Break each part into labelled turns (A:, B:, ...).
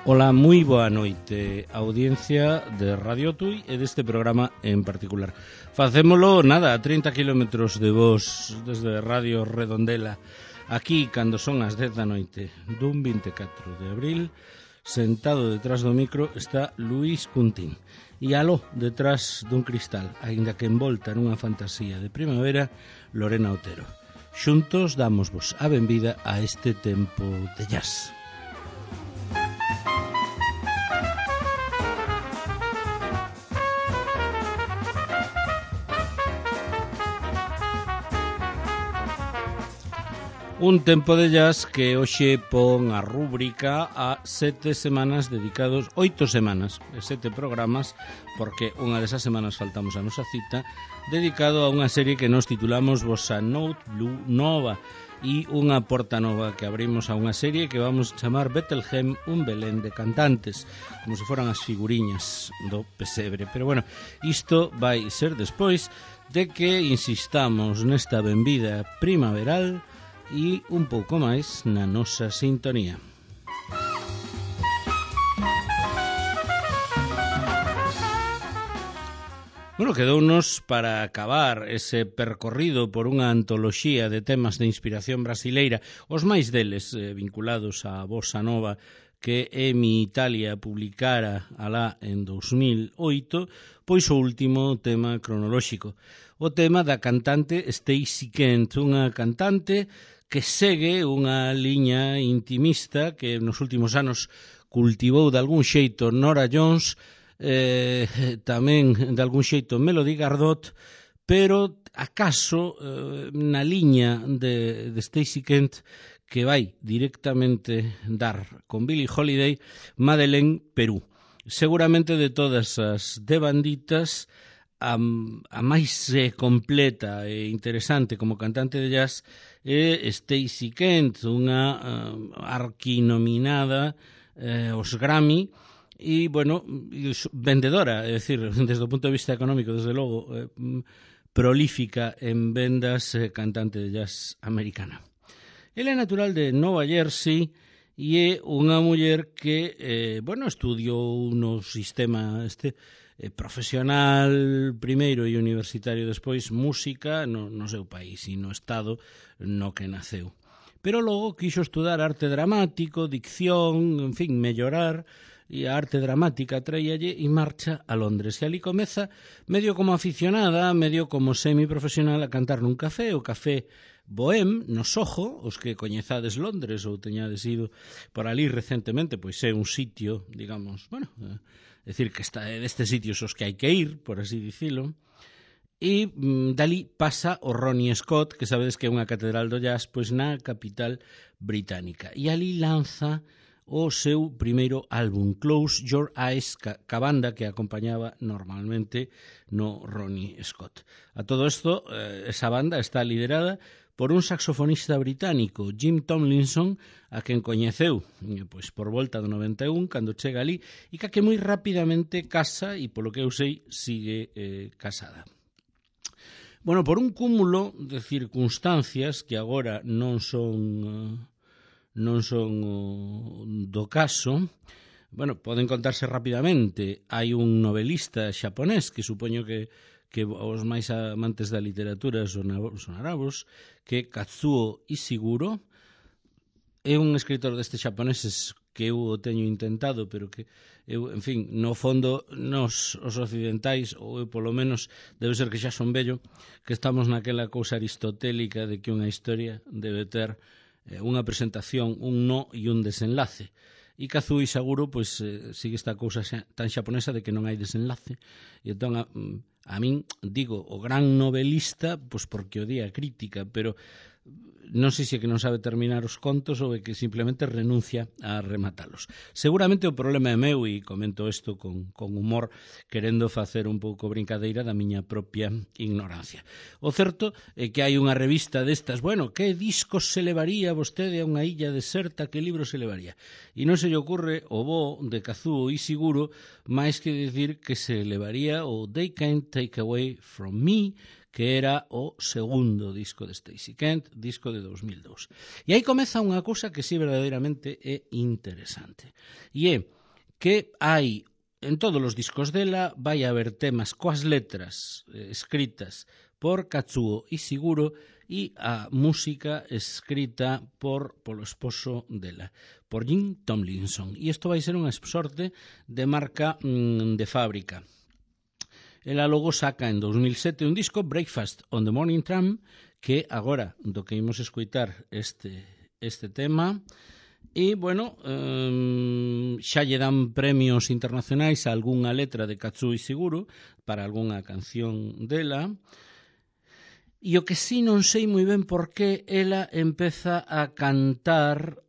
A: Ola, moi boa noite, audiencia de Radio Tui e deste programa en particular. Facémolo, nada, a 30 kilómetros de vos desde Radio Redondela, aquí, cando son as 10 da noite dun 24 de abril, sentado detrás do micro está Luís Cuntín. E aló, detrás dun cristal, aínda que envolta nunha fantasía de primavera, Lorena Otero. Xuntos dámosvos a benvida a este tempo de jazz. Un tempo de jazz que hoxe pon a rúbrica a 7 semanas dedicados, 8 semanas, 7 programas, porque unha desas semanas faltamos a nosa cita, dedicado a unha serie que nos titulamos Bossa Blue Nova, e unha porta nova que abrimos a unha serie que vamos a chamar Bethlehem, un Belén de cantantes, como se foran as figuriñas do pesebre. Pero bueno, isto vai ser despois de que insistamos nesta benvida primaveral e un pouco máis na nosa sintonía. Bueno, quedounos para acabar ese percorrido por unha antoloxía de temas de inspiración brasileira, os máis deles vinculados á bossa nova que Emi Italia publicara alá en 2008, pois o último tema cronolóxico, o tema da cantante Stacey Kent, unha cantante que segue unha liña intimista que nos últimos anos cultivou de algún xeito Nora Jones, tamén de algún xeito Melody Gardot, pero acaso na liña de Stacey Kent que vai directamente dar con Billie Holiday, Madeleine Perú. Seguramente de todas as devanditas, a máis completa e interesante como cantante de jazz é Stacey Kent, unha arquinominada aos Grammy e, bueno, vendedora, é dicir, desde o punto de vista económico, desde logo, prolífica en vendas, cantante de jazz americana. Ela é natural de Nova Jersey e é unha muller que, bueno, estudiou no sistema profesional primeiro e universitario despois música no seu país e no estado no que naceu. Pero logo quixo estudar arte dramático, dicción, en fin, mellorar, e a arte dramática traíalle e marcha a Londres. E ali comeza medio como aficionada, medio como semiprofesional a cantar nun café, o Café Bohème, no Soho, os que coñezades Londres ou teñades ido por ali recentemente, pois é un sitio, digamos, bueno, é dicir, que está destes sitios os que hai que ir, por así dicilo, e dali pasa o Ronnie Scott, que sabedes que é unha catedral do jazz, pois na capital británica. E ali lanza o seu primeiro álbum, Close Your Eyes, ca banda que acompañaba normalmente no Ronnie Scott. A todo isto, esa banda está liderada por un saxofonista británico, Jim Tomlinson, a quen coñeceu pois por volta do 91, cando chega ali, e que moi rapidamente casa, e polo que eu sei, sigue casada. Bueno, por un cúmulo de circunstancias que agora non son do caso, bueno, poden contarse rapidamente. Hai un novelista xaponés que supoño que os máis amantes da literatura sonarabos, que Kazuo Ishiguro é un escritor destes xaponeses que eu o teño intentado, pero que eu, en fin, no fondo nos os occidentais, ou eu polo menos debe ser que xa son vello, que estamos naquela cousa aristotélica de que unha historia debe ter unha presentación, un no e un desenlace. E Kazuo Ishiguro, pois, sigue esta cousa tan xaponesa de que non hai desenlace. E entón, a min, digo, o gran novelista, pois porque o día crítica, pero non sei se é que non sabe terminar os contos ou é que simplemente renuncia a rematalos. Seguramente o problema é meu, e comento isto con humor, querendo facer un pouco brincadeira da miña propia ignorancia. O certo é que hai unha revista destas, bueno, que discos se levaría vostede a unha illa deserta, que libro se levaría? E non se lle ocurre o bo de Kazuo Ishiguro máis que dicir que se levaría o They Can't Take Away From Me, que era o segundo disco de Stacey Kent, disco de 2002. E aí comeza unha cousa que sí verdadeiramente é interesante. E é que hai, en todos os discos dela, vai haber temas coas letras escritas por Katsuo Ishiguro e a música escrita polo esposo dela, por Jim Tomlinson. E isto vai ser unha sorte de marca de fábrica. Ela logo saca en 2007 un disco, Breakfast on the Morning Tram, que agora do que imos escoitar este tema. E, bueno, xa lle dan premios internacionais a algunha letra de Katsuo Ishiguro para algunha canción dela. E o que sí non sei moi ben por que ela empeza a cantar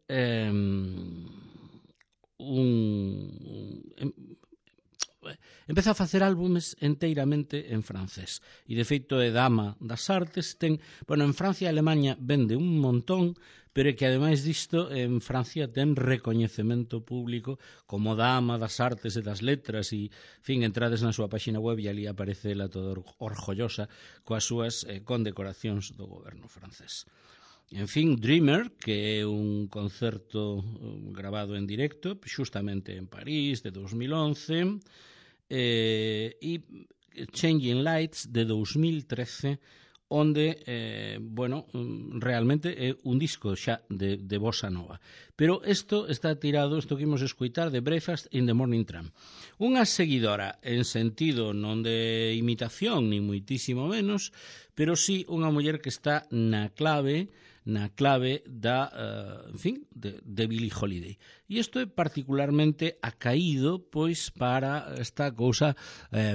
A: empeza a facer álbumes enteiramente en francés. E, de feito, é dama das artes. En Francia e Alemanha vende un montón, pero é que, ademais disto, en Francia ten recoñecemento público como dama das artes e das letras. E, entrades na súa página web e ali aparece ela toda orgullosa coas súas condecoracións do goberno francés. En fin, Dreamer, que é un concerto grabado en directo, xustamente en París, de 2011, e Changing Lights, de 2013, onde, realmente é un disco xa de bossa nova. Pero isto está tirado, isto que imos escoitar, de Breakfast in the Morning Tram. Unha seguidora en sentido non de imitación, ni muitísimo menos, pero sí unha muller que está na clave de Billie Holiday. E isto é particularmente acaído pois para esta cousa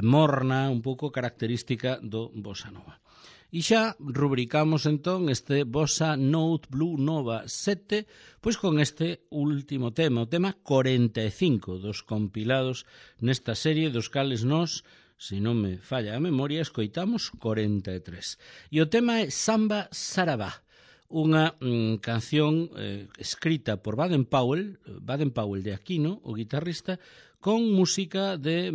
A: morna, un pouco característica do bossa nova. E xa rubricamos entón este Bossa Note Blue Nova 7 pois con este último tema, o tema 45 dos compilados nesta serie, dos cales nós, se non me falla a memoria, escoitamos 43. E o tema é Samba Sarabá, unha canción escrita por Baden Powell de Aquino, o guitarrista, con música de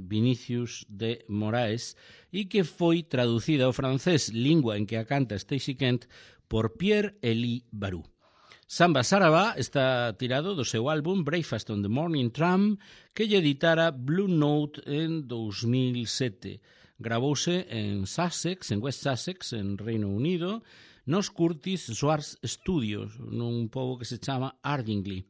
A: Vinicius de Moraes e que foi traducida ao francés, lingua en que a canta Stacey Kent, por Pierre-Élie Barou. Samba Sarabá está tirado do seu álbum Breakfast on the Morning Tram, que lle editara Blue Note en 2007. Gravouse en West Sussex, en Reino Unido, nos Curtis Swartz Studios, nun pobo que se chama Ardingly,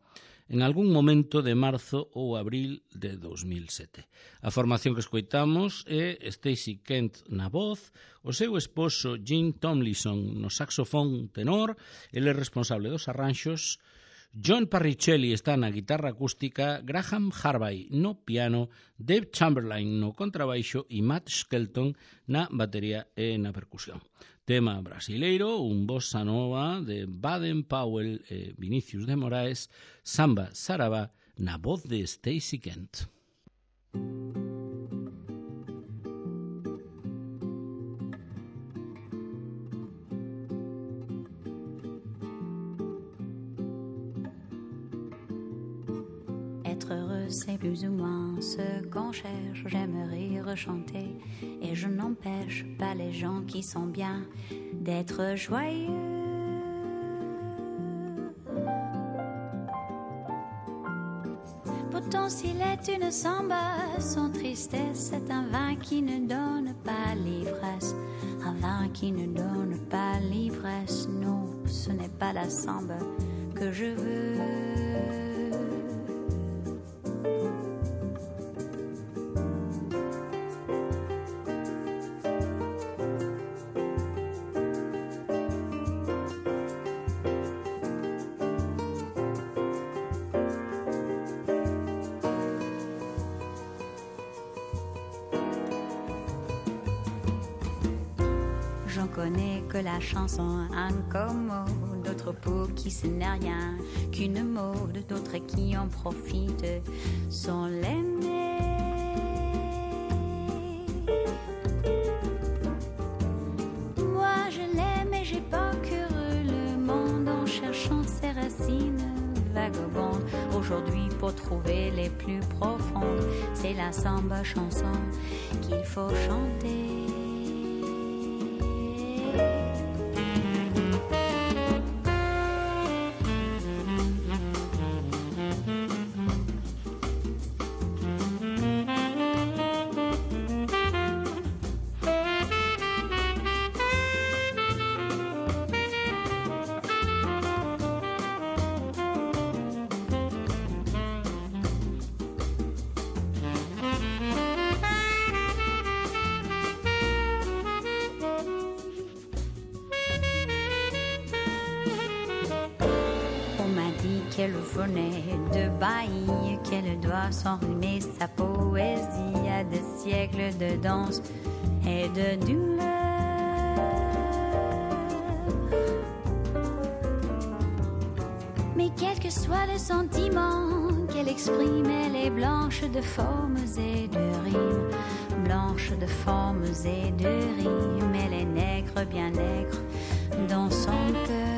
A: en algún momento de marzo ou abril de 2007. A formación que escoitamos é Stacey Kent na voz, o seu esposo Jim Tomlinson no saxofón tenor, ele é responsable dos arranxos, John Parricelli está na guitarra acústica, Graham Harvey no piano, Dave Chamberlain no contrabaixo e Matt Skelton na batería e na percusión. Tema brasileiro, un bossa nova de Baden Powell e Vinicius de Moraes, Samba Sarabá na voz de Stacey Kent.
B: Être heureux, c'est plus ou moins ce qu'on cherche. J'aime rire, chanter, et je n'empêche pas les gens qui sont bien d'être joyeux. Pourtant, s'il est une samba, son tristesse est un vin qui ne donne pas l'ivresse. Un vin qui ne donne pas l'ivresse. Non, ce n'est pas la samba que je veux. J'en connais que la chanson incommode, d'autres pour qui ce n'est rien qu'une mode, d'autres qui en profitent sans l'aimer. Moi je l'aime et j'ai parcouru le monde en cherchant ses racines vagabondes. Aujourd'hui pour trouver les plus profondes, c'est la samba chanson qu'il faut chanter. qu'elle venait de Baï, qu'elle doit s'enrhumer sa poésie à des siècles de danse et de douleur. Mais quel que soit le sentiment qu'elle exprime, elle est blanche de formes et de rimes, blanche de formes et de rimes, elle est nègre, bien nègre dans son cœur.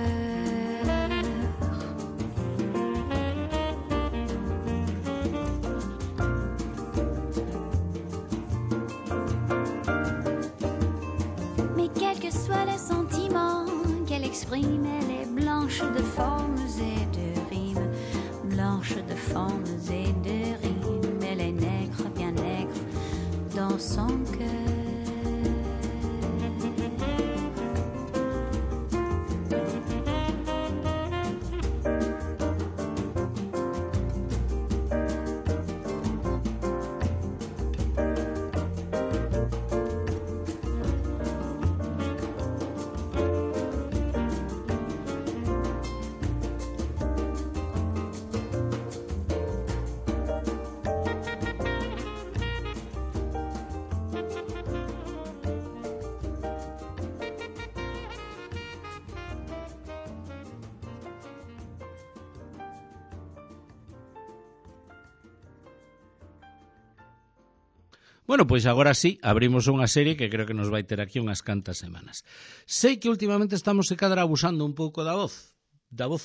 B: Mais quel que soit le sentiment qu'elle exprime, elle est blanche de formes et de rimes, blanche de formes et de rimes, elle est nègre, bien nègre dans son cœur.
A: Bueno, pois agora sí, abrimos unha serie que creo que nos vai ter aquí unhas cantas semanas. Sei que últimamente estamos se cadra abusando un pouco da voz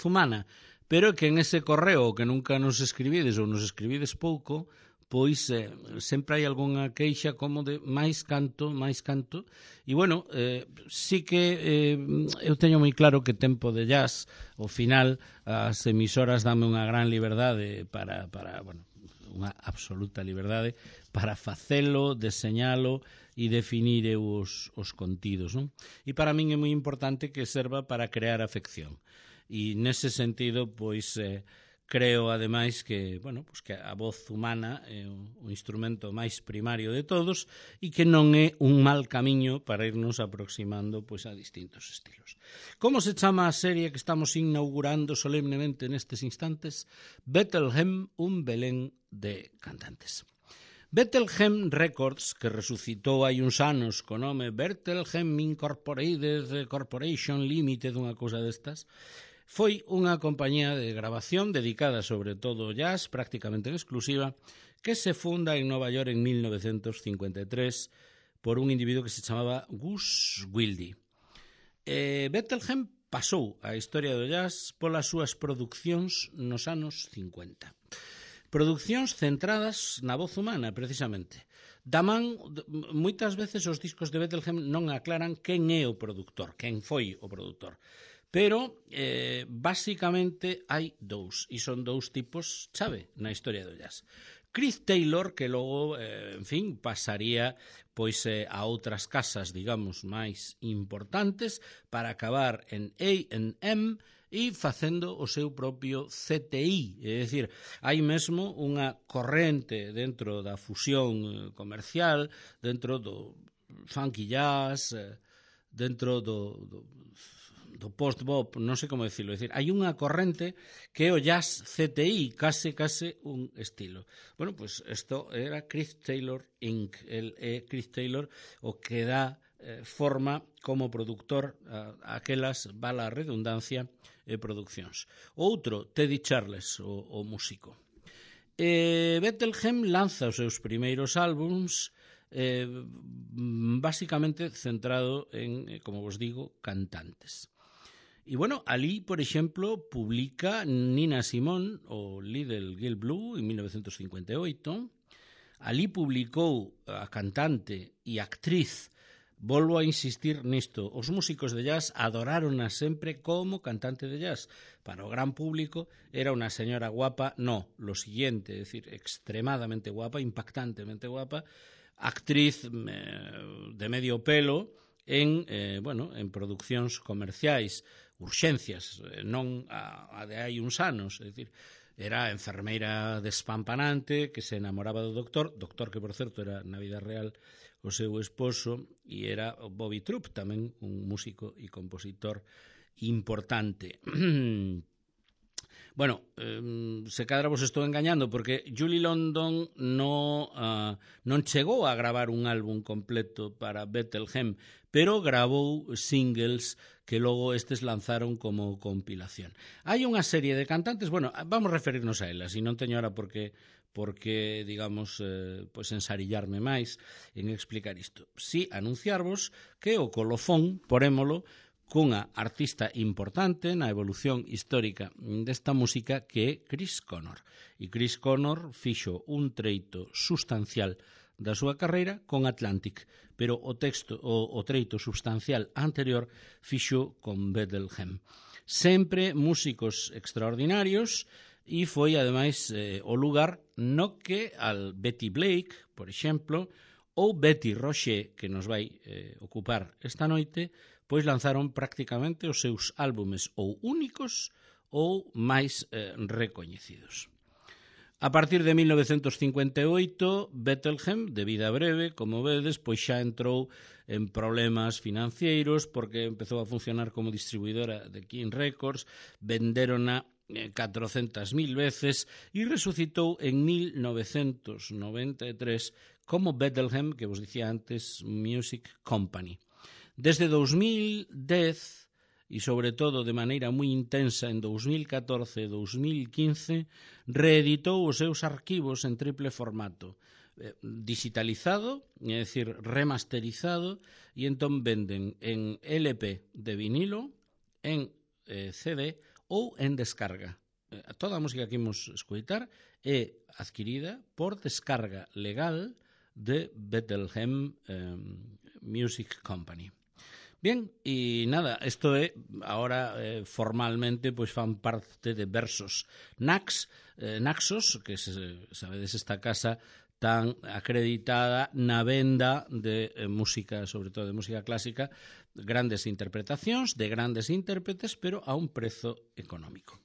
A: humana, pero que en ese correo que nunca nos escribides ou nos escribides pouco, pois sempre hai algunha queixa como de máis canto, e bueno, sí que eu teño moi claro que tempo de jazz, ao final as emisoras dame unha gran liberdade para bueno, unha absoluta liberdade para facelo, deseñalo e definir os contidos, non? E para min é moi importante que serva para crear afección. E nese sentido, pois, creo, ademais, que, bueno, pois que a voz humana é o instrumento máis primario de todos e que non é un mal camiño para irnos aproximando, pois, a distintos estilos. Como se chama a serie que estamos inaugurando solemnemente nestes instantes? Bethlehem, un Belén de cantantes. Bethlehem Records, que resucitou hai uns anos co nome Bethlehem Incorporated Corporation Limited, unha cousa destas, foi unha compañía de grabación dedicada sobre todo ao jazz, prácticamente en exclusiva, que se funda en Nova York en 1953 por un individuo que se chamaba Gus Wilde. Bethlehem pasou a historia do jazz polas súas producións nos anos 50. Producións centradas na voz humana, precisamente. Da man, moitas veces os discos de Bethlehem non aclaran quen é o produtor, quen foi o produtor. Pero, basicamente, hai dous, e son dous tipos chave na historia do jazz. Chris Taylor, que logo, en fin, pasaría pois a outras casas, digamos, máis importantes para acabar en A&M e facendo o seu propio CTI, é dicir, hai mesmo unha corrente dentro da fusión comercial, dentro do funky jazz, dentro do post-bop, non sei como decirlo, é dicir, hai unha corrente que é o jazz CTI, case un estilo. Bueno, pois isto era Chris Taylor Inc. El é Chris Taylor o que dá forma como productor aquelas, vala a redundancia, produccións. Outro, Teddy Charles, o músico. Bethlehem lanza os seus primeiros álbums basicamente centrado en, como vos digo, cantantes. E, bueno, ali, por exemplo, publica Nina Simone o Little Girl Blue en 1958. Ali publicou a cantante e actriz. Volvo a insistir nisto, os músicos de jazz adorárona sempre como cantante de jazz. Para o gran público era unha señora guapa, no, lo siguiente, é dicir, extremadamente guapa, impactantemente guapa, actriz de medio pelo en produccións comerciais, urxencias, non a de hai uns anos, é dicir, era enfermeira despampanante que se enamoraba do doctor que, por certo, era na vida real o seu esposo, e era Bobby Troup, tamén un músico e compositor importante. Bueno, se cadra vos estou engañando porque Julie London non chegou a gravar un álbum completo para Bethlehem, pero gravou singles que logo estes lanzaron como compilación. Hai unha serie de cantantes, bueno, vamos a referirnos a elas, e non teño ahora porque digamos, pois ensarillarme máis en explicar isto. Si anunciarvos que o colofón, porémolo, cunha artista importante na evolución histórica desta música que é Chris Connor. E Chris Connor fixo un treito sustancial da súa carreira con Atlantic, pero o treito substancial anterior fixo con Bethlehem. Sempre músicos extraordinarios e foi, ademais, o lugar no que al Betty Blake, por exemplo, ou Betty Roche, que nos vai ocupar esta noite, pois lanzaron prácticamente os seus álbumes ou únicos ou máis recoñecidos. A partir de 1958, Bethlehem, de vida breve, como vedes, pois xa entrou en problemas financeiros porque empezou a funcionar como distribuidora de King Records, venderona 400.000 veces e resucitou en 1993 como Bethlehem, que vos dicía antes, Music Company. Desde 2010, e sobre todo de maneira moi intensa en 2014 e 2015, reeditou os seus arquivos en triple formato, digitalizado, é dicir, remasterizado, e entón venden en LP de vinilo, en CD ou en descarga. Toda a música que imos escoitar é adquirida por descarga legal de Bethlehem Music Company. Bien, e nada, isto é, ahora formalmente, pois fan parte de Versos Naxos, que sabedes esta casa tan acreditada na venda de música, sobre todo de música clásica, grandes interpretacións de grandes intérpretes, pero a un prezo económico.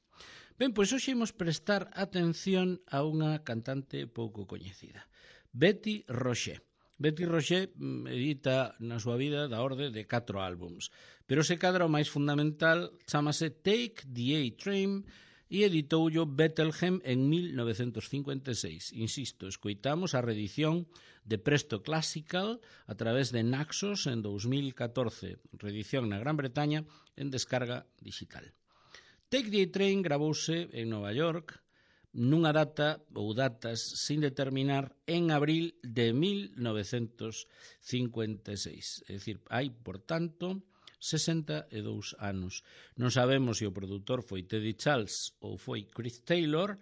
A: Ben, pois hoxe imos prestar atención a unha cantante pouco coñecida, Betty Roche. Betty Roche edita na súa vida da orde de 4 álbums, pero se cadra o máis fundamental chamase Take the A-Train e editoullo Bethlehem en 1956. Insisto, escoitamos a reedición de Presto Classical a través de Naxos en 2014, reedición na Gran Bretaña en descarga digital. Take the A-Train gravouse en Nova York nunha data ou datas sin determinar en abril de 1956. É dicir, hai, por tanto, 62 anos. Non sabemos se o produtor foi Teddy Charles ou foi Chris Taylor,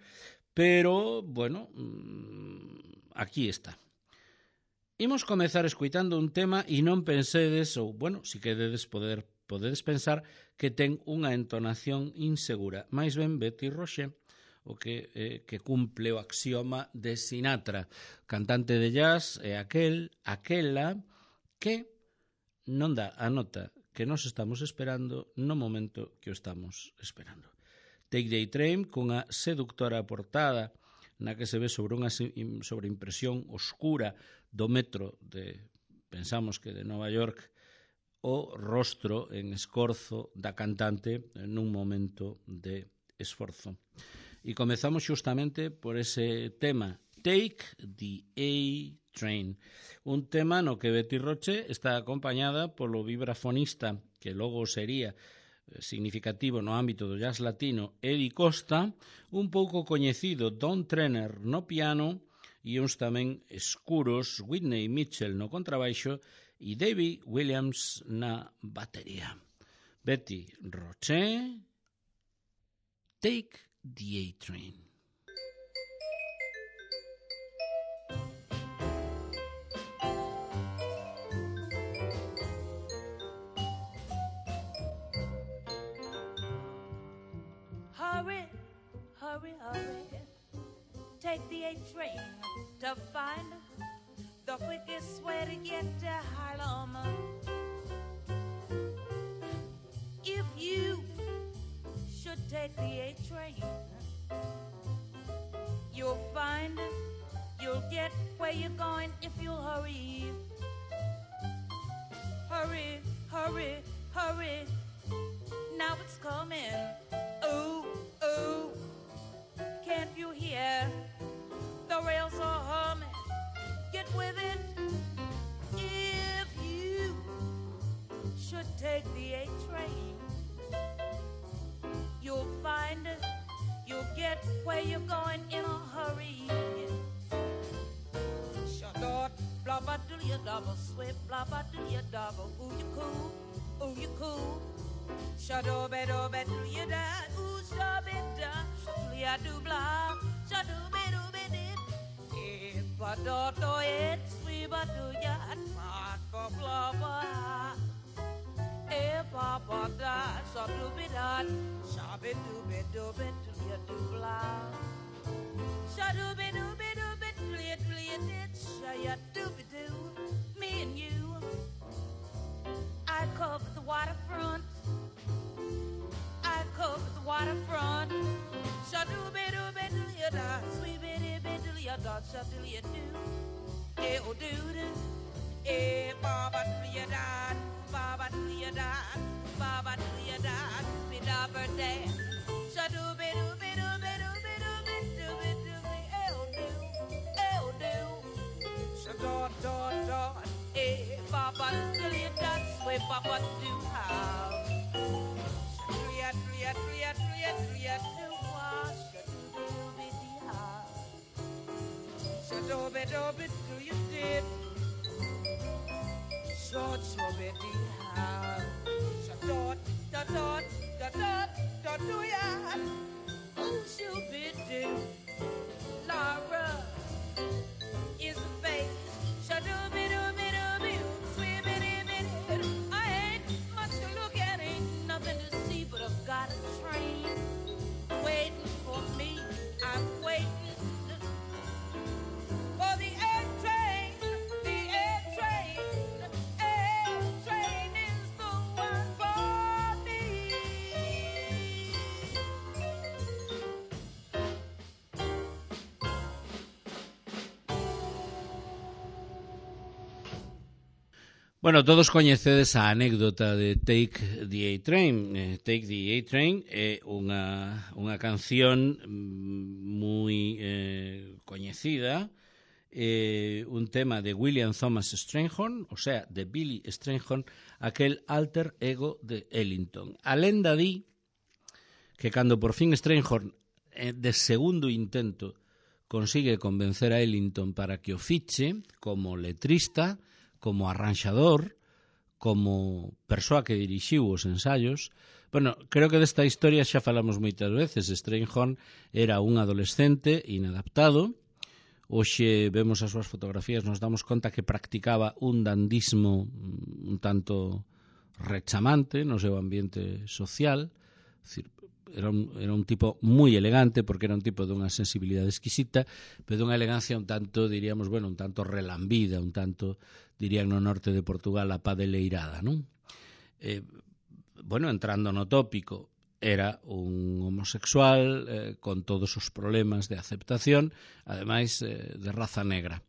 A: pero, bueno, aquí está. Imos comezar escoitando un tema e non pensedes, ou, bueno, si queredes podedes pensar que ten unha entonación insegura. Mais ben Betty Roche, o que cumple o axioma de Sinatra. Cantante de jazz é aquela que non dá a nota que nos estamos esperando no momento que o estamos esperando. Take the A-Train, cunha seductora portada na que se ve sobre unha sobreimpresión oscura do metro de, pensamos que de Nova York, o rostro en escorzo da cantante nun momento de esforzo. E comezamos xustamente por ese tema, Take the A-Train, un tema no que Betty Roche está acompañada polo vibrafonista, que logo sería significativo no ámbito do jazz latino, Eddie Costa, un pouco coñecido Don Trenner no piano e uns tamén escuros, Whitney Mitchell no contrabaixo e Davy Williams na batería. Betty Roche, Take the A-Train.
C: Hurry, hurry, hurry, take the A-Train to find the quickest way to get to Harlem. If you should take the A-Train, you'll find you'll get where you're going if you'll hurry. Hurry, hurry, hurry, now it's coming. Ooh, ooh, right with it. If you should take the A train, you'll find you'll get where you're going in a hurry. Shadot, blah blah do your double swift, blah blah do your double. Ooh you cool, ooh you cool. Shadot, bedo bedo you da, ooh shabida, shadot ya do blah, shadot bedo bedit. If do it, sweet do ya, smart for blah blah. If Papa da, shadot bedat, shabit do bedo bedo you do blah. Shadot bedo bedo. Me and you, I covered the waterfront. I covered the waterfront. Shadoo-be-doo-be-doo-ya-da, sweet-be-dee-be-doo-ya-da, shadoo-ya-doo. Eh-oh-doo-doo, eh-ba-ba-doo-ya-da, ba-ba-doo-ya-da, ba-ba-doo-ya-da, be-da-ba-da, shadoo-be-doo-be-doo-be-doo-be-doo-be-doo-be-doo, eh-oh-doo. Dot dot dot, eh, Papa, that's where Papa do how. Triat, triat, triat, triat, triat, do wash, do be how. So do you did. So be how. So dot, dot, dot, dot, dot, dot, do ya. Oh, she'll be do. Laura is the face. I ain't much to look at, ain't nothing to see, but I've got a train waiting for me. I'm waiting for the air train. The air train, air train is the one for me.
A: Bueno, todos coñecedes a anécdota de Take the A-Train. Take the A-Train é unha canción moi coñecida, un tema de William Thomas Strayhorn, o sea, de Billy Strayhorn, aquel alter ego de Ellington. A lenda di que cando por fin Strayhorn, de segundo intento, consigue convencer a Ellington para que o fiche como letrista, como arranxador, como persoa que dirixiu os ensaios. Bueno, creo que desta historia xa falamos moitas veces. Strayhorn era un adolescente inadaptado. Hoxe vemos as súas fotografías, nos damos conta que practicaba un dandismo un tanto rechamante no seu ambiente social. Era un tipo moi elegante, porque era un tipo dunha sensibilidade exquisita, pero dunha elegancia un tanto, diríamos, bueno, un tanto relambida, un tanto, dirían no norte de Portugal, a padeleirada, non? Bueno, entrando no tópico, era un homosexual con todos os problemas de aceptación, ademais de raza negra.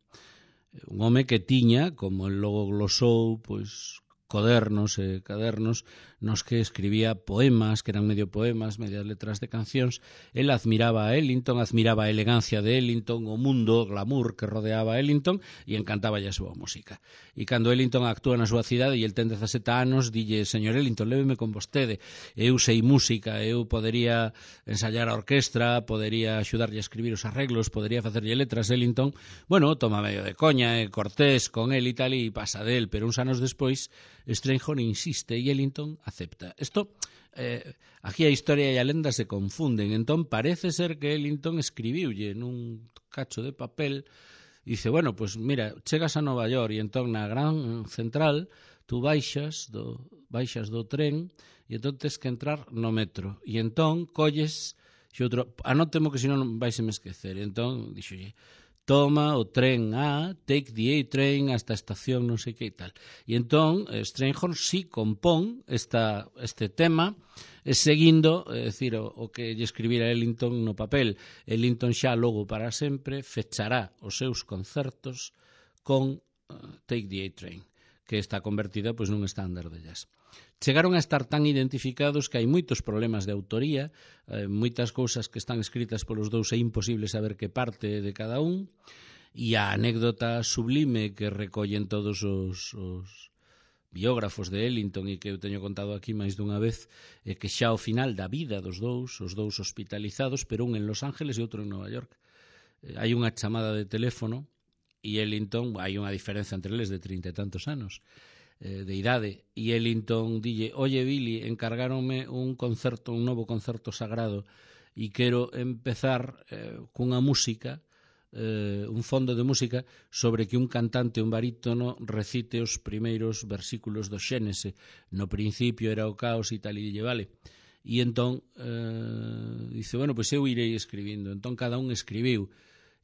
A: Un home que tiña, como el logo glosou, pois codernos e cadernos nos que escribía poemas, que eran medio poemas, medias letras de cancións. El admiraba a Ellington, admiraba a elegancia de Ellington, o mundo, o glamour que rodeaba a Ellington, e encantaba a súa música. E cando Ellington actúa na súa cidade e el ten 17 anos, dille: señor Ellington, léveme con vostede, eu sei música, eu podería ensayar a orquestra, podería axudarlle a escribir os arreglos, podería facerlle letras. Ellington, bueno, toma medio de coña, cortés con el e tal, e pasa del, pero uns anos despois Strayhorn insiste e Ellington acepta. Isto, aquí a historia e a lenda se confunden. Entón parece ser que Ellington escribiulle nun cacho de papel e dice, bueno, pues mira, chegas a Nova York e entón na gran central tú baixas do tren e entón tens que entrar no metro e entón colles outro, anótemo que senón vais a me esquecer. Entón dixolle, toma o tren A, take the A-train hasta a estación non sei que e tal. E entón, Strayhorn sí compón este tema seguindo, é dicir, o que lle escribira Ellington no papel. Ellington xa logo para sempre fechará os seus concertos con Take the A-Train, que está convertida pois nun estándar de jazz. Chegaron a estar tan identificados que hai moitos problemas de autoría, moitas cousas que están escritas polos dous é imposible saber que parte de cada un, E a anécdota sublime que recollen todos os biógrafos de Ellington e que eu teño contado aquí máis dunha vez é que xa ao final da vida dos dous, os dous hospitalizados, pero un en Los Ángeles e outro en Nova York, hai unha chamada de teléfono e Ellington, hai unha diferenza entre eles de 30 e tantos anos de idade, e Ellington dille: oye Billy, encargáronme un novo concerto sagrado e quero empezar cunha música, un fondo de música sobre que un cantante, un barítono, recite os primeiros versículos do Xénese. No principio era o caos e tal, e dille, vale. E entón dice, bueno, pois eu irei escribindo. Entón cada un escribiu,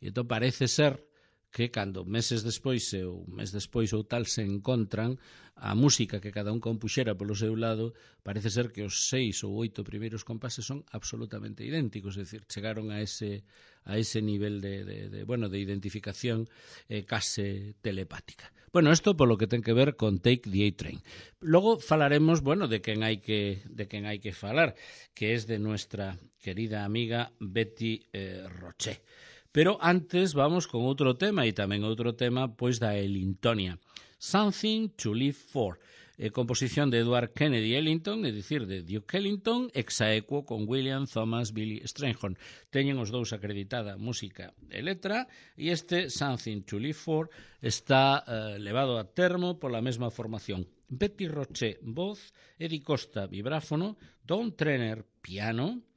A: e entón parece ser que cando meses despois ou tal se encontran, a música que cada un compuxera polo seu lado, parece ser que os 6 ou 8 primeiros compases son absolutamente idénticos, é dicir, chegaron a ese nivel de identificación case telepática. Bueno, isto polo que ten que ver con Take the A-Train. Logo falaremos, de quen hai que falar, que es de nuestra querida amiga Betty Roché. Pero antes vamos con outro tema, e tamén outro tema pois da Ellingtonia. Something to Live For, composición de Edward Kennedy Ellington, é dicir, de Duke Ellington, exaequo con William Thomas Billy Strayhorn. Teñen os dous acreditada música e letra, e este Something to Live For está levado a termo pola mesma formación. Betty Roché, voz, Eddie Costa, vibráfono, Don Trenner, piano,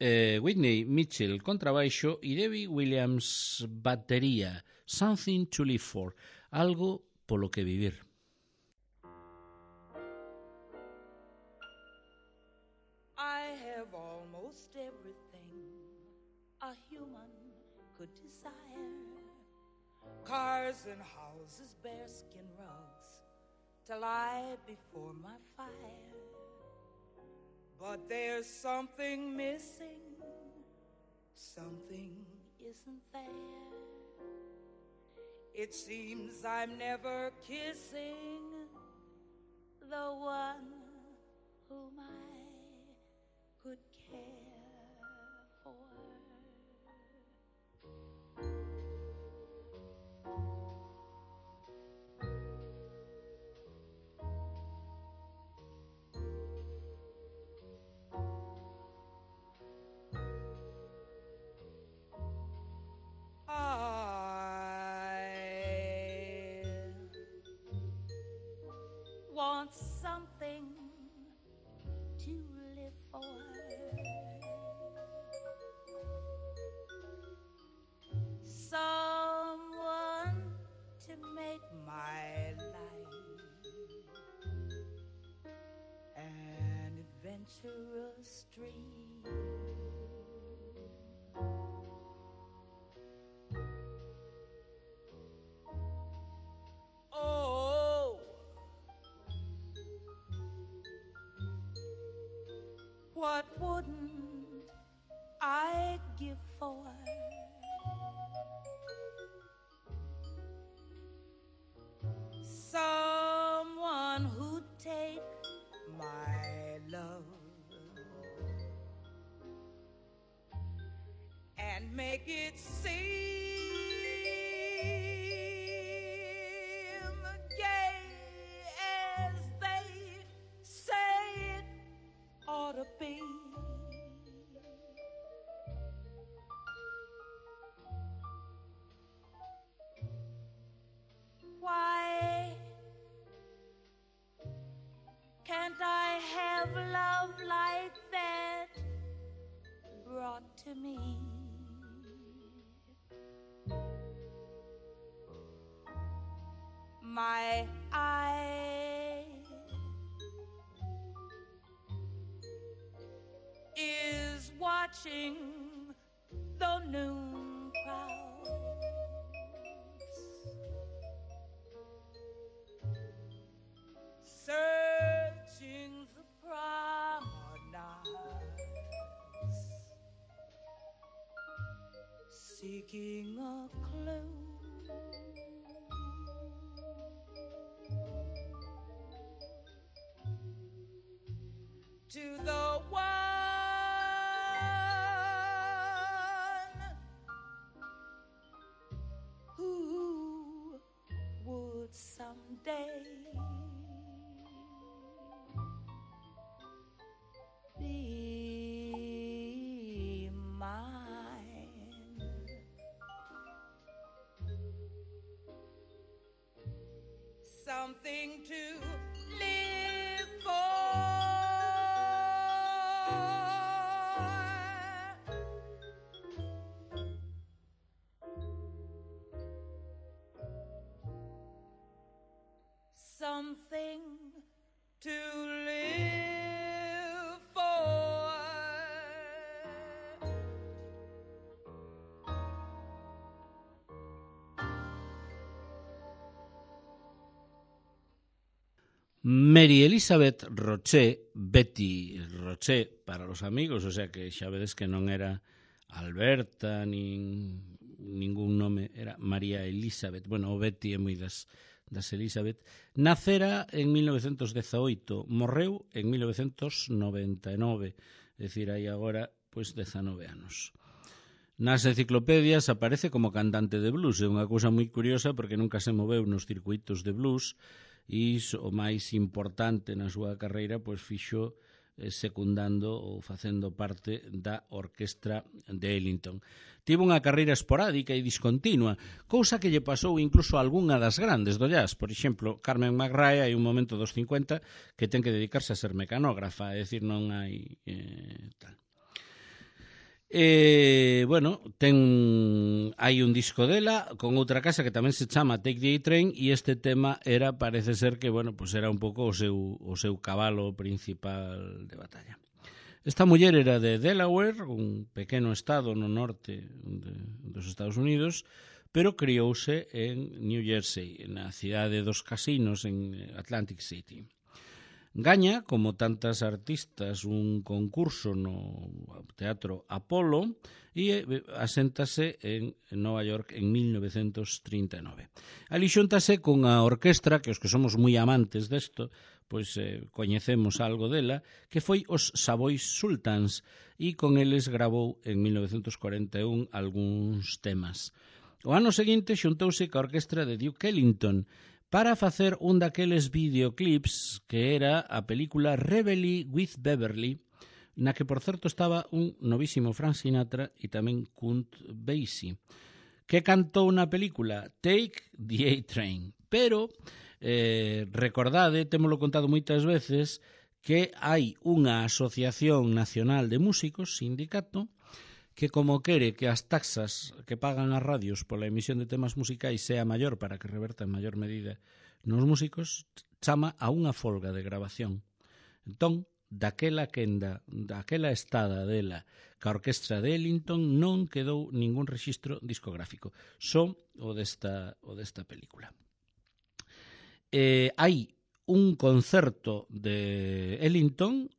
A: Whitney Mitchell, contrabaixo, e Debbie Williams, batería. Something to Live For, algo polo que vivir.
C: I have almost everything a human could desire. Cars and houses, bearskin rugs to lie before my fire. But there's something missing, something isn't there. It seems I'm never kissing the one whom I could care for. Want something to live for. Someone to make my life an adventurous dream. What wouldn't I give for someone who'd take my love and make it seem gay as they say it ought to be. Why can't I have love like that brought to me? My eye is watching the noon crowds, searching the promenades, seeking a clue to the one something to live for. Something to live for.
A: Mary Elizabeth Roche, Betty Roche para los amigos, o sea que xa vedes que non era Alberta nin ningún nome, era María Elizabeth. Bueno, o Betty é moi das Elizabeth. Nacera en 1918, morreu en 1999, é dicir, hai agora pois 19 anos. Nas enciclopedias aparece como cantante de blues, é unha cousa moi curiosa porque nunca se moveu nos circuitos de blues e o máis importante na súa carreira pois fixo secundando ou facendo parte da orquestra de Ellington. Tivo unha carreira esporádica e discontinua, cousa que lle pasou incluso a algunha das grandes do jazz. Por exemplo, Carmen McRae hai un momento dos 50 que ten que dedicarse a ser mecanógrafa, é dicir, non hai tal. Bueno, hai un disco dela con outra casa que tamén se chama Take the A-Train e este tema era, parece ser que, bueno, pues era un pouco o seu cabalo principal de batalla. Esta muller era de Delaware, un pequeno estado no norte dos Estados Unidos, pero criouse en New Jersey, na cidade dos casinos en Atlantic City. Gaña, como tantas artistas, un concurso no Teatro Apollo e aséntase en Nova York en 1939. Ali xúntase cunha orquestra que os que somos moi amantes desto, pois coñecemos algo dela, que foi os Savoy Sultans e con eles gravou en 1941 algúns temas. O ano seguinte xuntouse ca orquestra de Duke Ellington para facer un daqueles videoclips que era a película Reveille with Beverly, na que, por certo, estaba un novísimo Frank Sinatra e tamén Count Basie, que cantou na película Take the A-Train. Pero, recordade, témolo contado moitas veces, que hai unha asociación nacional de músicos, sindicato, que como quere que as taxas que pagan as radios pola emisión de temas musicais sea maior para que reverta en maior medida nos músicos, chama a unha folga de grabación. Entón, daquela estada dela ca orquestra de Ellington non quedou ningún rexistro discográfico, só o desta película. Hai un concerto de Ellington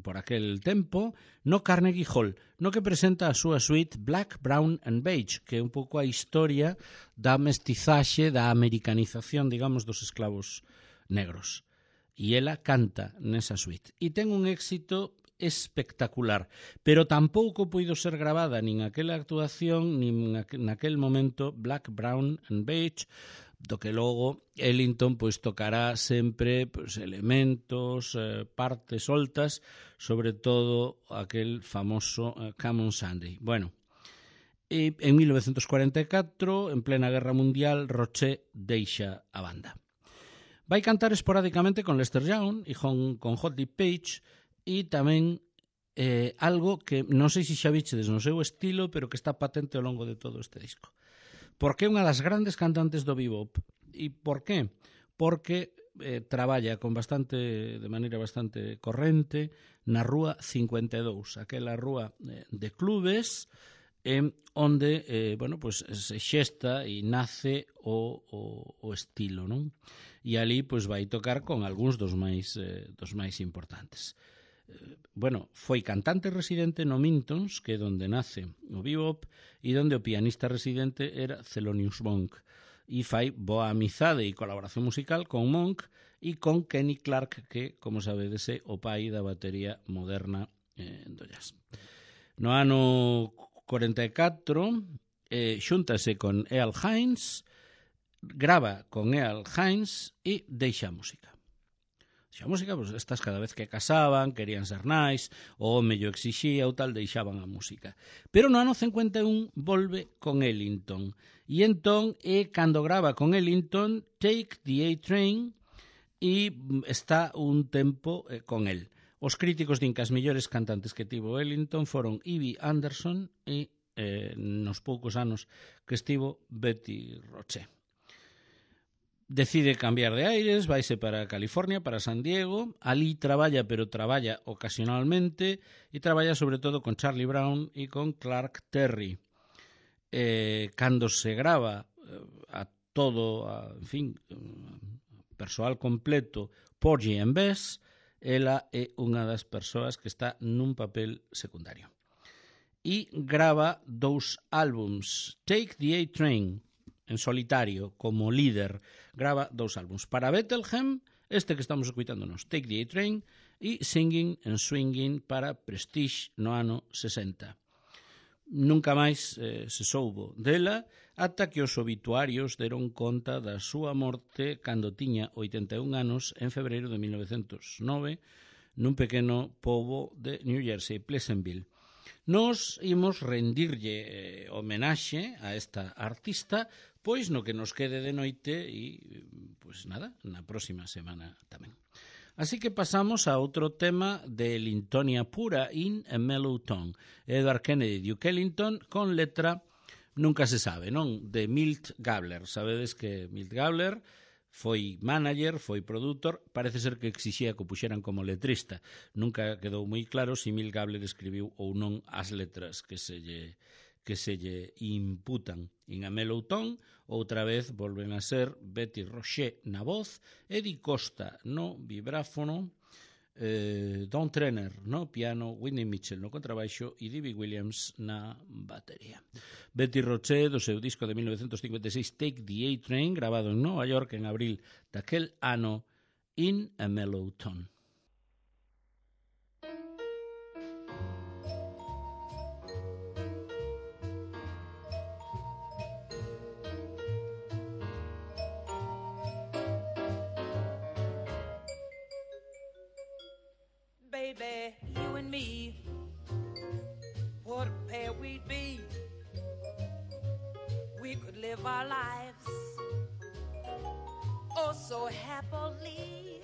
A: por aquel tempo no Carnegie Hall, no que presenta a súa suite Black, Brown and Beige, que é un pouco a historia da mestizaxe, da americanización, digamos, dos esclavos negros. E ela canta nesa suite. E ten un éxito espectacular, pero tampouco puido ser gravada nin aquela actuación, nin naquel momento Black, Brown and Beige, do que logo Ellington pois tocará sempre pois, elementos, partes soltas, sobre todo aquel famoso Come on Sunday. Bueno, e en 1944, en plena Guerra Mundial, Roche deixa a banda. Vai cantar esporádicamente con Lester Young e con Hot Lip Page e tamén algo que non sei se xa vichedes no seu estilo, pero que está patente ao longo de todo este disco. Porque é unha das grandes cantantes do bebop. E por qué? Porque traballa de maneira bastante corrente na Rúa 52, aquela rúa de clubes onde pues, se xesta e nace o estilo, non? E ali pues, vai tocar con algúns dos máis importantes. Foi cantante residente no Mintons, que é onde nace o bebop, e onde o pianista residente era Thelonious Monk, e fai boa amizade e colaboración musical con Monk e con Kenny Clarke, que, como sabedes, é o pai da batería moderna do jazz. No ano 44 xúntase con Earl Hines, grava con Earl Hines e deixa a música. A música, pues, estas cada vez que casaban, querían ser nais, o home yo exixía ou tal, deixaban a música. Pero no ano 51 volve con Ellington. E entón é cando grava con Ellington Take the A-Train, e está un tempo con el. Os críticos din que as mellores cantantes que tivo Ellington foron Ivy Anderson e nos poucos anos que estivo Betty Roche. Decide cambiar de aires, vaise para California, para San Diego. Ali traballa, pero traballa ocasionalmente, e traballa sobre todo con Charlie Brown e con Clark Terry. Cando se grava a todo, en fin, persoal completo, Porgy and Bess, ela é unha das persoas que está nun papel secundario. E grava 2 álbums, Take the A-Train, en solitario, como líder, grava 2 álbums. Para Bethlehem, este que estamos escuitándonos, Take the A-Train, e Singing and Swinging para Prestige no ano 60. Nunca máis se soubo dela, ata que os obituarios deron conta da súa morte cando tiña 81 anos en febreiro de 1909 nun pequeno pobo de New Jersey, Pleasantville. Nos imos rendirlle homenaxe a esta artista, pois no que nos quede de noite e, pois nada, na próxima semana tamén. Así que pasamos a outro tema de Ellingtonia pura, In a Mellow Tone. Edward Kennedy, Duke Ellington, con letra, nunca se sabe, non? De Milt Gabler. Sabedes que Milt Gabler foi manager, foi produtor, parece ser que exixía que o puxeran como letrista. Nunca quedou moi claro se Milt Gabler escribiu ou non as letras que se lle imputan. In a Mellow Tone, outra vez volven a ser Betty Roche na voz, Eddie Costa no vibráfono, Don Trenner no piano, Whitney Mitchell no contrabaixo e Dibby Williams na batería. Betty Roche, do seu disco de 1956 Take the A-Train, grabado en Nova York en abril daquel ano, In a Mellow Tone.
C: Baby, you and me, what a pair we'd be. We could live our lives oh so happily.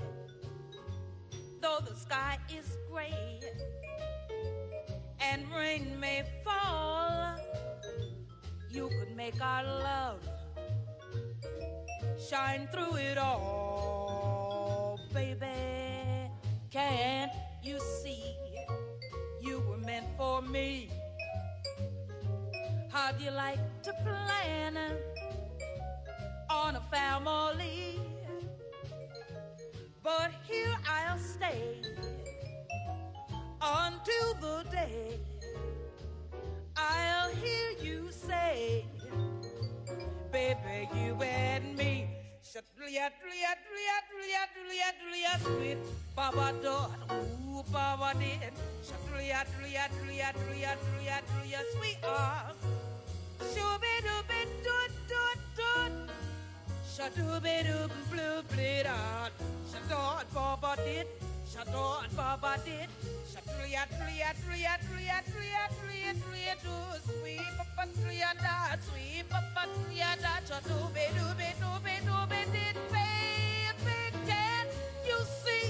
C: Though the sky is gray and rain may fall, you could make our love shine through it all. Baby, can't you see you were meant for me? How'd you like to plan on a family? But here I'll stay until the day I'll hear you say, baby, you and me. Sweet Baba Dot, ooh Baba did. Sweetheart, shoo-be-doo-be doot doot doot, shoo-doo-be-doo blue blue dot, shoo-dot Baba did, shoo-dot Baba did, sweet Papa dot, sweet Papa dot, shoo-doo-be-doo-be-doo-be-doo-be did, baby, can't you see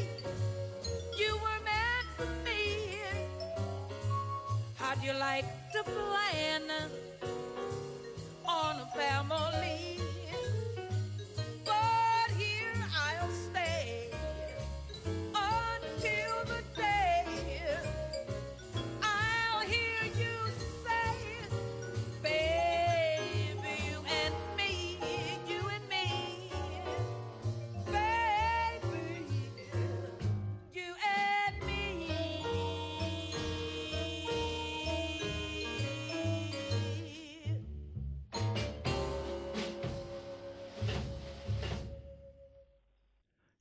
C: you were meant for me? How'd you like to plan on a family? But here I'll stay until the day I'll hear you say, baby, you and me, baby, you and me.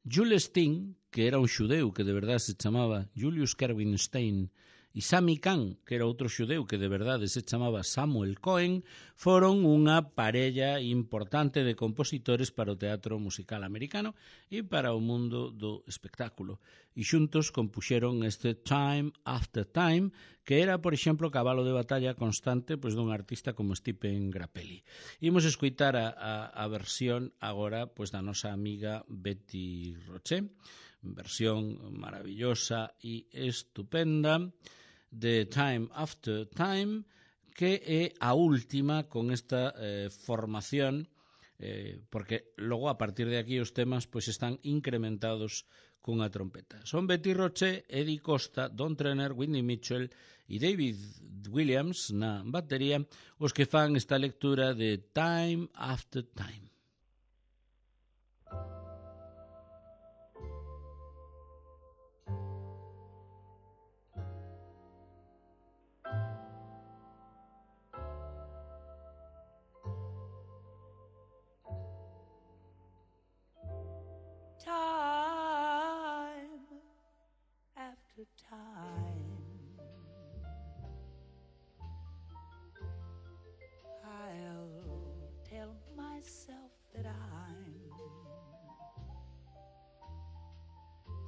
A: Jules Sting, que era un xudeu que de verdade se chamaba Julius Kerwin Stein e Sammy Cahn, que era outro xudeu que de verdade se chamaba Samuel Cohen, foron unha parella importante de compositores para o teatro musical americano e para o mundo do espectáculo. E xuntos compuxeron este Time After Time, que era, por exemplo, cabalo de batalla constante pois, dun artista como Stephen Grappelli. Imos escoitar a versión agora pois, da nosa amiga Betty Roche, versión maravillosa e estupenda de Time After Time, que é a última con esta formación, porque logo a partir de aquí os temas pois están incrementados cunha trompeta. Son Betty Roche, Eddie Costa, Don Trenner, Whitney Mitchell e David Williams na batería os que fan esta lectura de Time After Time.
C: Time after time, I'll tell myself that I'm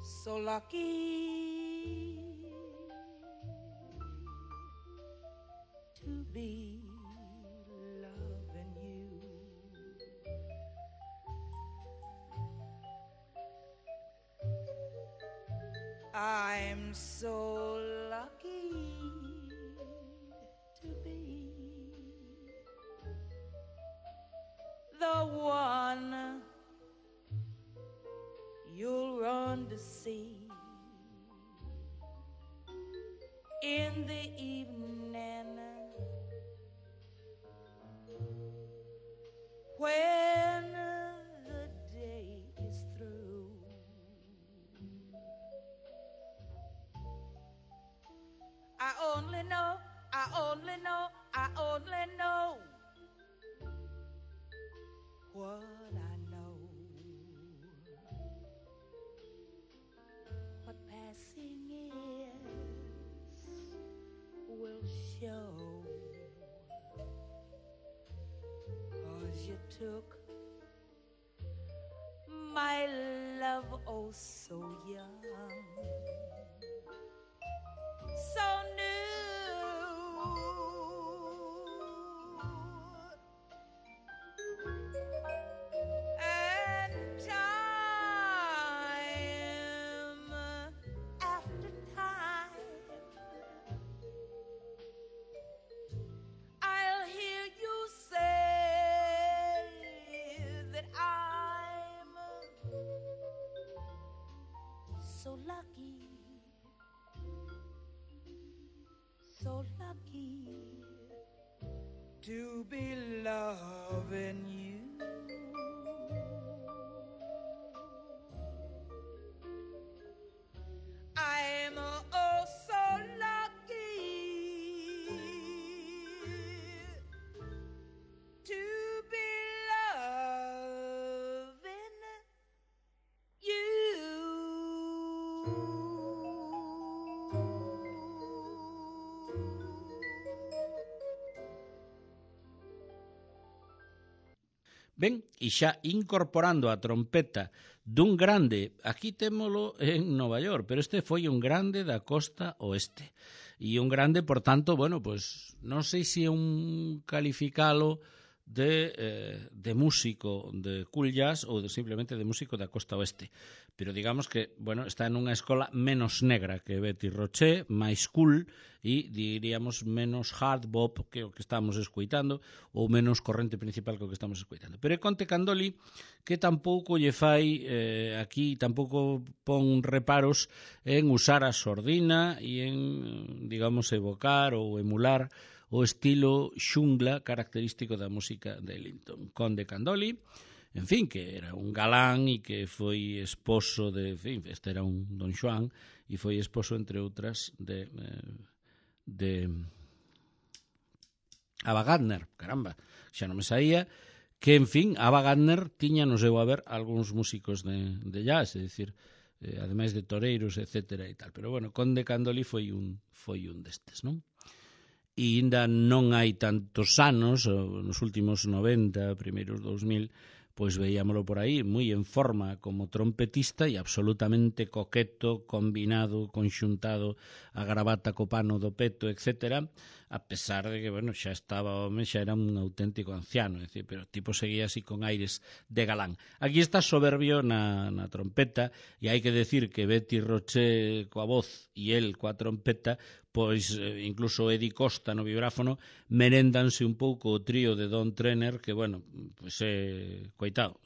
C: so lucky to be loving you. I'm so lucky to be the one you'll run to see in the evening when the day is through. I only know what I know. What passing years will show. 'Cause you took my love oh so young, so new. And time after time, I'll hear you say that I'm so lucky, so lucky to be loving you. I'm oh so lucky to be loving you.
A: Ben, e xa incorporando a trompeta dun grande, aquí témolo en Nova York, pero este foi un grande da costa oeste. E un grande, por tanto, bueno, pues non sei se é un calificalo de músico de cool jazz ou simplemente de músico da costa oeste. Pero digamos que, bueno, está en unha escola menos negra que Betty Roche, máis cool e, diríamos, menos hard bop que o que estamos escoitando ou menos corrente principal que o que estamos escoitando. Pero é Conte Candoli que tampouco lle fai aquí, tampouco pon reparos en usar a sordina e en, digamos, evocar ou emular o estilo xungla característico da música de Ellington. Conde Candoli, en fin, que era un galán e que foi esposo de, en fin, este era un Don Xoán e foi esposo, entre outras, de Ava Gardner, caramba, xa non me saía, que, en fin, Ava Gardner tiña no seu haber algúns músicos de jazz, é dicir, ademais de toreiros, etcétera e tal. Pero bueno, Conde Candoli foi un destes, non? E ainda non hai tantos anos, nos últimos 90, primeiros 2000, pois veíamolo por aí, moi en forma como trompetista e absolutamente coqueto, combinado, conxuntado a gravata co pano do peto, etcétera, a pesar de que, bueno, xa estaba home, xa era un auténtico anciano, é dicir, pero o tipo seguía así con aires de galán. Aquí está soberbio na trompeta, e hai que decir que Betty Roche coa voz e el coa trompeta, pois incluso Eddie Costa no vibráfono merendanse un pouco o trío de Don Trenner, que, bueno, pois coitado,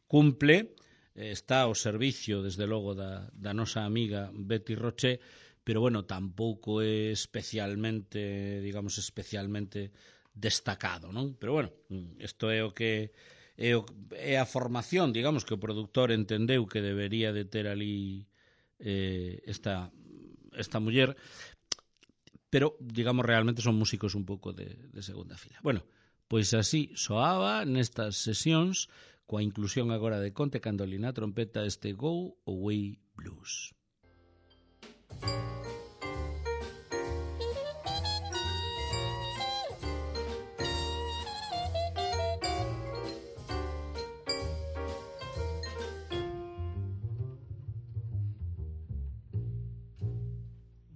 A: cumple, está ao servicio, desde logo, da nosa amiga Betty Roche, pero, bueno, tampouco é especialmente, digamos, especialmente destacado, non? Pero, bueno, isto é o que é a formación, digamos, que o produtor entendeu que debería de ter ali esta muller, pero, digamos, realmente son músicos un pouco de segunda fila. Bueno, pois así soaba nestas sesións, coa inclusión agora de Conde Candoli na trompeta, este Go Away Blues.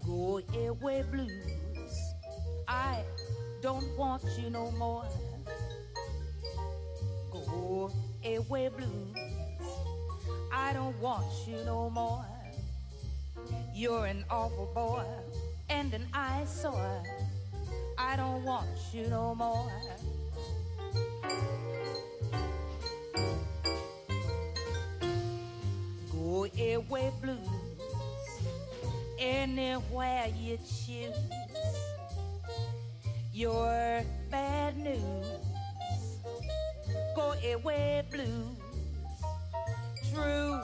C: Go away blues, I don't want you no more. Go away blues, I don't want you no more. You're an awful boy and an eyesore. I don't want you no more. Go away blues, anywhere you choose. You're bad news. Go away blues. True,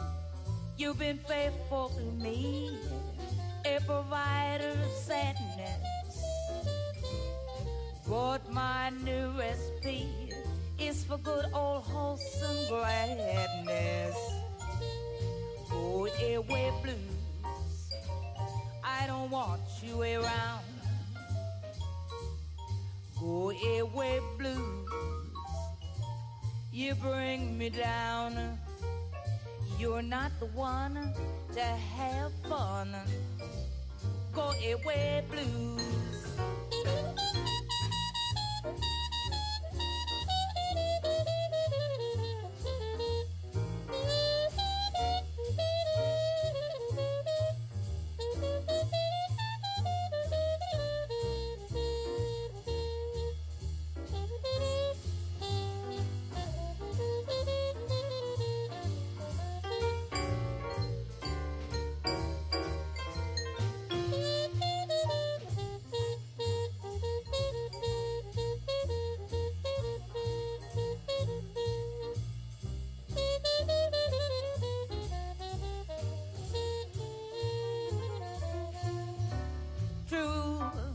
C: you've been faithful to me, a provider of sadness. But my new recipe is for good old wholesome gladness. Go away blues, I don't want you around. Go away blues, you bring me down. You're not the one to have fun. Go away blues.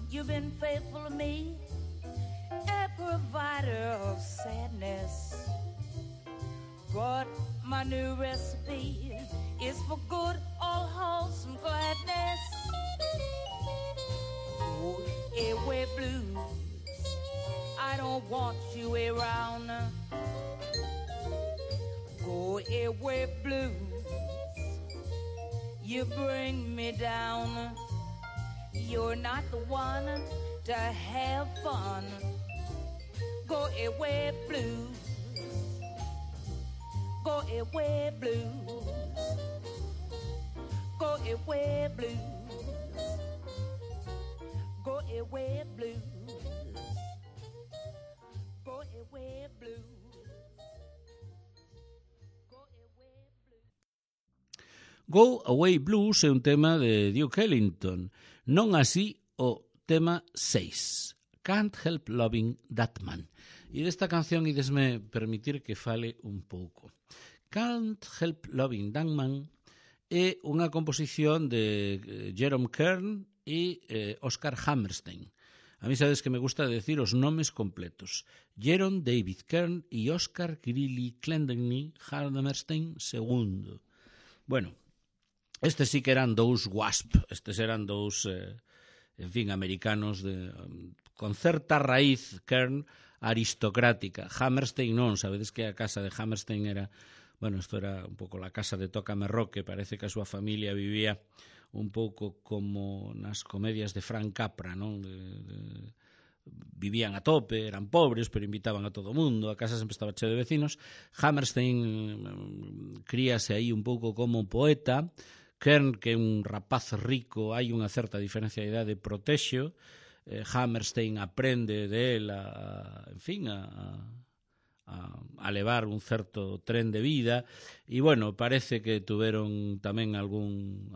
C: You've been faithful to me, a provider of sadness. But my new recipe is for good, all wholesome gladness. Go away blues, I don't want you around. Go away blues, you bring me down. You're not the one to have fun. Go away blues. Go away blues. Go away blues. Go away blues. Go away blues.
A: Go Away Blues é un tema de Duke Ellington, non así o tema 6, Can't Help Loving That Man. E desta canción idesme permitir que fale un pouco. Can't Help Loving That Man é unha composición de Jerome Kern e Oscar Hammerstein. A mí sabes que me gusta decir os nomes completos. Jerome David Kern e Oscar Greeley Clendenny Hammerstein II. Bueno, Estes sí que eran dous WASP, estes eran dous, en fin, americanos con certa raíz, Kern, aristocrática. Hammerstein non, sabedes que a casa de Hammerstein era, bueno, isto era un pouco la casa de Tócame Roque, parece que a súa familia vivía un pouco como nas comedias de Frank Capra, non? Vivían a tope, eran pobres, pero invitaban a todo o mundo, a casa sempre estaba cheo de vecinos. Hammerstein críase aí un pouco como poeta. Kern, que é un rapaz rico, hai unha certa diferencia de idade, protexeo. Hammerstein aprende de él en fin, a levar un certo tren de vida e, bueno, parece que tuveron tamén algún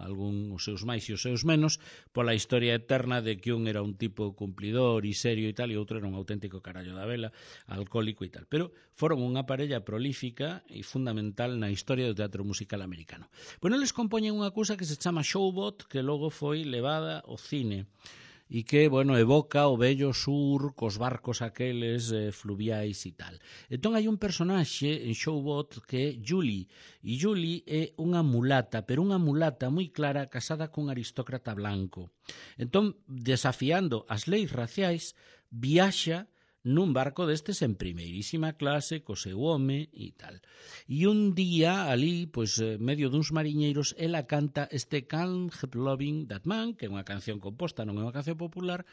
A: os seus máis e os seus menos pola historia eterna de que un era un tipo cumplidor e serio e tal, e outro era un auténtico carallo da vela, alcohólico e tal. Pero foron unha parella prolífica e fundamental na historia do teatro musical americano. Bueno, eles compoñen unha cousa que se chama Showboat, que logo foi levada ao cine e que, bueno, evoca o vello sur cos barcos aqueles fluviais e tal. Entón hai un personaxe en Showboat que é Julie, e Julie é unha mulata, pero unha mulata moi clara casada cun aristócrata blanco. Entón, desafiando as leis raciais, viaxa nun barco destes en primeirísima clase, co seu home e tal. E un día, ali, pois, medio duns mariñeiros, ela canta este Can't Help Loving That Man, que é unha canción composta, non é unha canción popular,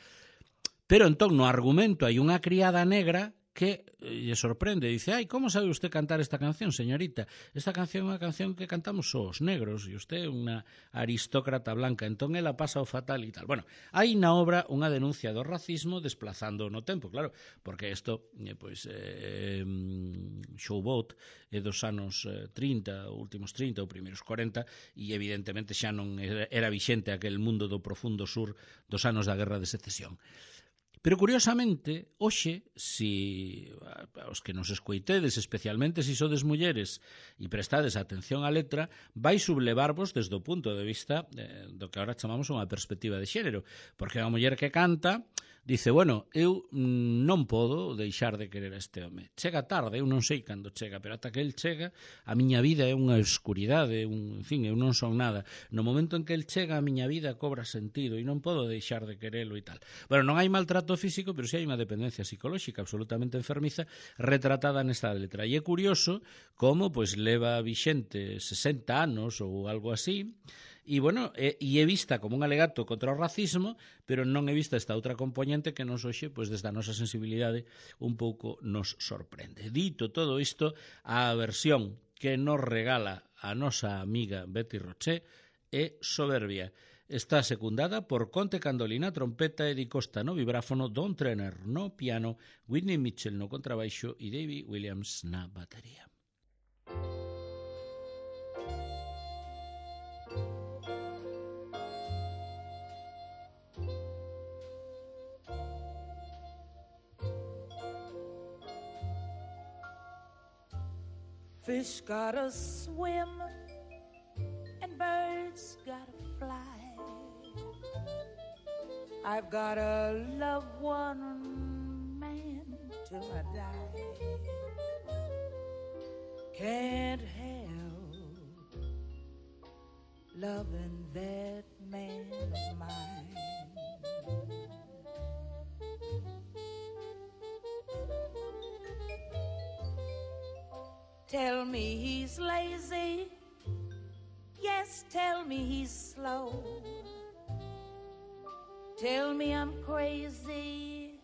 A: pero entón no argumento hai unha criada negra que lle sorprende, dice, ai, como sabe usted cantar esta canción, señorita? Esta canción é unha canción que cantamos só os negros, e usted é unha aristócrata blanca, entón ela pasa o fatal e tal. Bueno, hai na obra unha denuncia do racismo desplazando no tempo, claro, porque isto, Showboat é dos anos 30, últimos 30 ou primeiros 40, e evidentemente xa non era vixente aquel mundo do profundo sur dos anos da Guerra de Secesión. Pero, curiosamente, hoxe, si os que nos escoitedes, especialmente se sodes mulleres e prestades atención á letra, vai sublevarvos desde o punto de vista do que agora chamamos unha perspectiva de xénero, porque a muller que canta dice, bueno, eu non podo deixar de querer a este home. Chega tarde, eu non sei cando chega, pero ata que el chega, a miña vida é unha escuridade, en fin, eu non son nada. No momento en que el chega, a miña vida cobra sentido e non podo deixar de querelo e tal. Bueno, non hai maltrato físico, pero si hai unha dependencia psicolóxica absolutamente enfermiza retratada nesta letra. E é curioso como pois leva vixente 60 anos ou algo así, e, bueno, é vista como un alegato contra o racismo, pero non é vista esta outra componente que nos hoxe, pois, desde a nosa sensibilidade, un pouco nos sorprende. Dito todo isto, a versión que nos regala a nosa amiga Betty Roché é soberbia. Está secundada por Conte Candoli na trompeta, Eddie Costa no vibráfono, Don Trenner no piano, Whitney Mitchell no contrabaixo e Davy Williams na batería.
C: Fish gotta swim and birds gotta fly. I've gotta love one man till I die. Can't help loving that man of mine. Tell me he's lazy, yes, tell me he's slow. Tell me I'm crazy,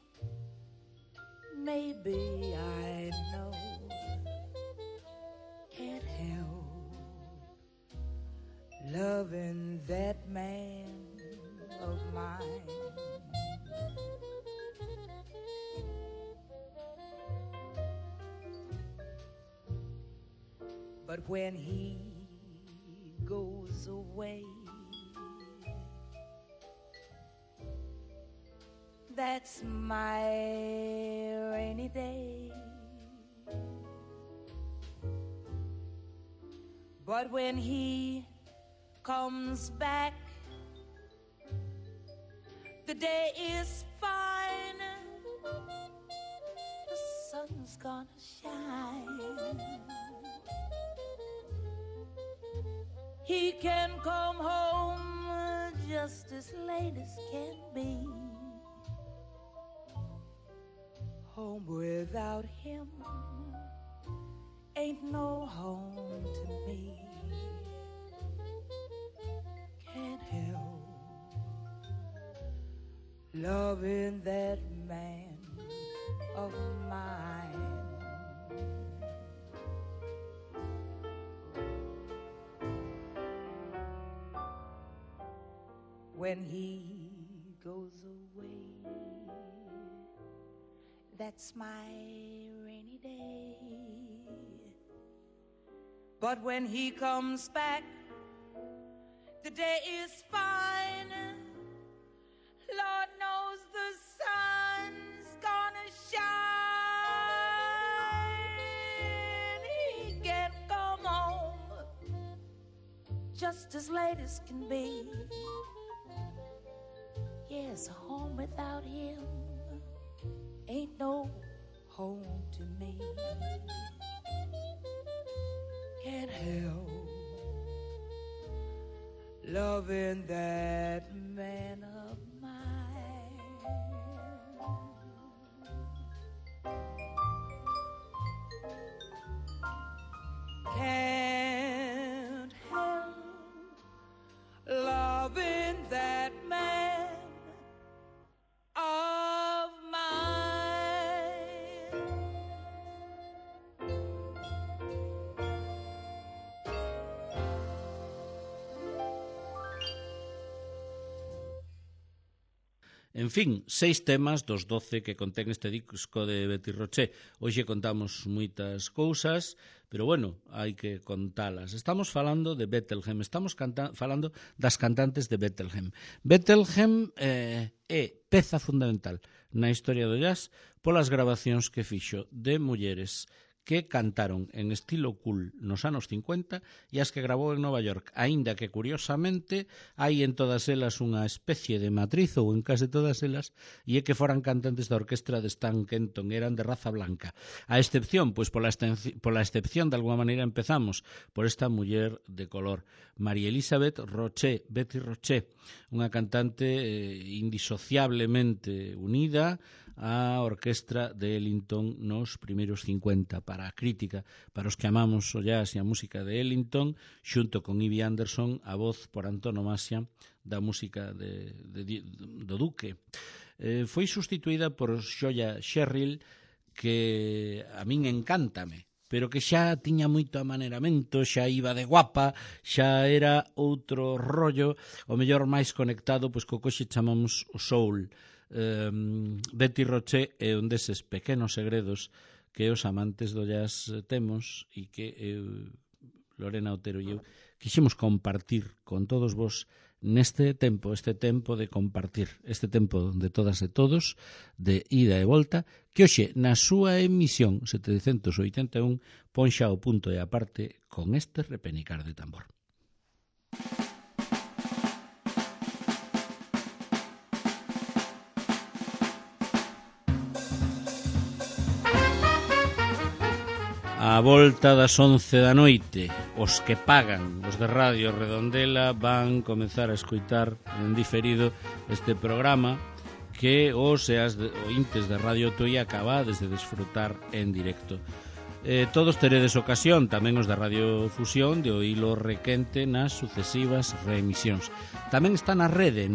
C: maybe I know. Can't help loving that man of mine. But when he goes away, that's my rainy day. But when he comes back, the day is fine. The sun's gonna shine. he can come home just as late as can be. Home without him ain't no home to me. Can't help loving that man of mine. When he goes away, that's my rainy day. But when he comes back, the day is fine. Lord knows the sun's gonna shine. He can come home just as late as can be. Yes, home without him ain't no home to me. Can't help loving that man of mine. Can't help loving that man of mine.
A: En fin, 6 temas dos 12 que contén este disco de Betty Roché. Hoxe contamos moitas cousas, pero bueno, hai que contalas. Estamos falando de Bethlehem, estamos falando das cantantes de Bethlehem. Bethlehem é peza fundamental na historia do jazz polas grabacións que fixo de mulleres que cantaron en estilo cool nos anos 50 e as que gravou en Nova York, aínda que curiosamente hai en todas elas unha especie de matriz, ou en case todas elas, e é que foran cantantes da orquestra de Stan Kenton, eran de raza blanca. A excepción, pois pola excepción, de alguma maneira empezamos por esta muller de color, María Elizabeth Roché, Betty Roché, unha cantante indisociablemente unida a orquestra de Ellington nos primeiros 50 para a crítica, para os que amamos o jazz e a música de Ellington, xunto con Ivy Anderson, a voz por antonomasia da música do Duque. Foi sustituída por Joya Sherrill, que a min encántame, pero que xa tiña moito amaneramento, xa iba de guapa, xa era outro rollo, o mellor máis conectado pois co que hoxe chamamos o soul. Betty Roché é un deses pequenos segredos que os amantes do jazz temos e que Lorena Otero e eu quixemos compartir con todos vos neste tempo, este tempo de compartir, este tempo de todas e todos, de ida e volta, que hoxe na súa emisión 781 ponxa o punto e aparte con este repenicar de tambor. A volta das 11 da noite, os que pagan, os de Radio Redondela, van comezar a escoitar en diferido este programa que os e as ointes de Radio Tui acabades de desfrutar en directo. Todos teredes ocasión, tamén os da Radio Fusión, de oílo requente nas sucesivas reemisións. Tamén está na rede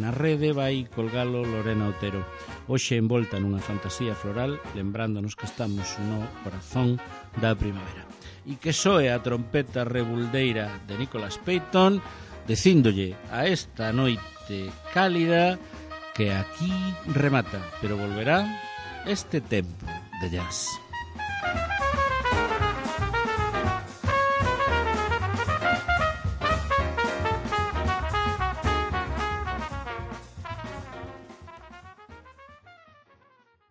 A: vai colgalo Lorena Otero. Hoxe envolta nunha fantasía floral, lembrándonos que estamos no corazón da primavera. E que soe a trompeta rebuldeira de Nicholas Payton, dicíndolle a esta noite cálida que aquí remata, pero volverá este tempo de jazz.